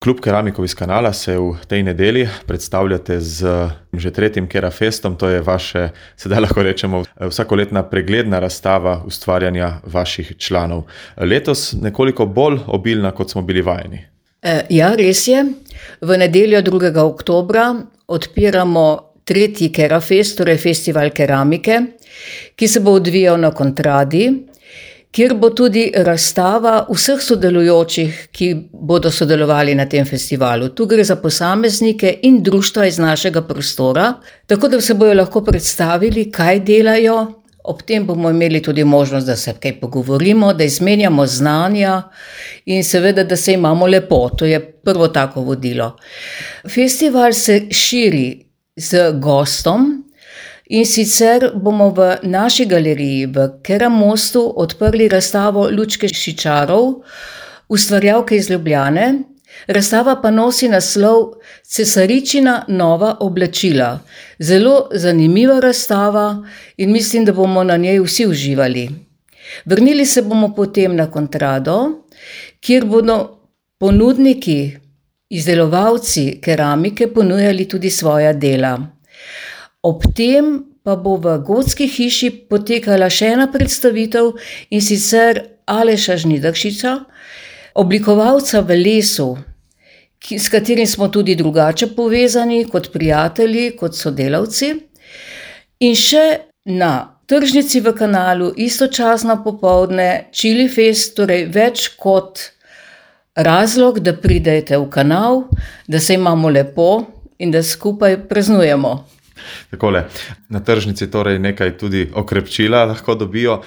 Klub keramikov iz Kanala se v tej nedelji predstavljate z že tretjim Kerafestom, to je vaše, sedaj lahko rečemo, vsakoletna pregledna razstava ustvarjanja vaših članov. Letos nekoliko bolj obilna, kot smo bili vajeni. Ja, res je. V nedeljo 2. oktobra odpiramo tretji Kerafest, torej festival keramike, ki se bo odvijal na Kontradi, kjer bo tudi razstava vseh sodelujočih, ki bodo sodelovali na tem festivalu. Tu gre za posameznike in društva iz našega prostora, tako da se bojo lahko predstavili, kaj delajo. Ob tem bomo imeli tudi možnost, da se kaj pogovorimo, da izmenjamo znanja in seveda, da se imamo lepo. To je prvo tako vodilo. Festival se širi z gostom. In sicer bomo v naši galeriji v Keramostu odprli razstavo Lučke Šičarov, ustvarjalke iz Ljubljane. Razstava pa nosi naslov Cesaričina nova oblačila. Zelo zanimiva razstava in mislim, da bomo na njej vsi uživali. Vrnili se bomo potem na Kontrado, kjer bodo ponudniki, izdelovalci keramike ponujali tudi svoja dela. Ob tem pa bo v Gotski hiši potekala še ena predstavitev, in sicer Aleša Žnidaršiča, oblikovalca v lesu, s katerim smo tudi drugače povezani kot prijatelji, kot sodelavci. In še na tržnici v Kanalu istočasno popoldne Čilifest, torej več kot razlog, da pridete v Kanal, da se imamo lepo in da skupaj praznujemo. Takole, na tržnici torej nekaj tudi okrepčila lahko dobijo,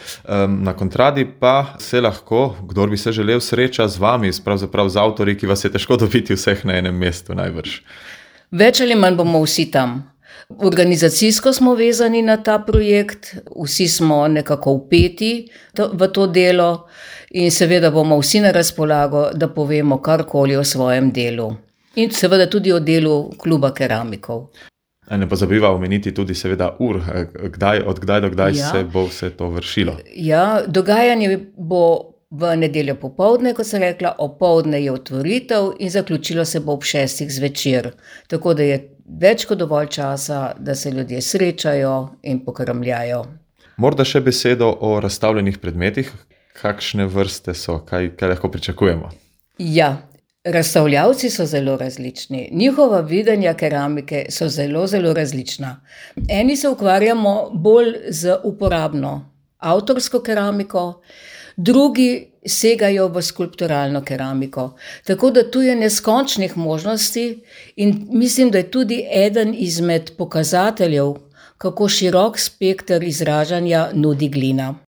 na Kontradi pa se lahko, kdor bi se želel, sreča z vami, pravzaprav z avtorji, ki vas je težko dobiti vseh na enem mestu najbrž. Več ali manj bomo vsi tam. Organizacijsko smo vezani na ta projekt, vsi smo nekako vpeti v to delo in seveda bomo vsi na razpolago, da povemo karkoli o svojem delu. In seveda tudi o delu kluba keramikov. Ne pozabiva omeniti tudi seveda ur, od kdaj do kdaj se bo vse to vršilo. Ja, dogajanje bo v nedeljo popoldne, kot sem rekla, opoldne je otvoritev in zaključilo se bo ob 6. zvečer. Tako da je več kot dovolj časa, da se ljudje srečajo in pokramljajo. Morda še besedo o razstavljenih predmetih. Kakšne vrste so, kaj lahko pričakujemo? Ja. Razstavljavci so zelo različni, njihova videnja keramike so zelo, zelo različna. Eni se ukvarjamo bolj z uporabno avtorsko keramiko, drugi segajo v skulpturalno keramiko. Tako da tu je neskončnih možnosti in mislim, da je tudi eden izmed pokazateljev, kako širok spekter izražanja nudi glina.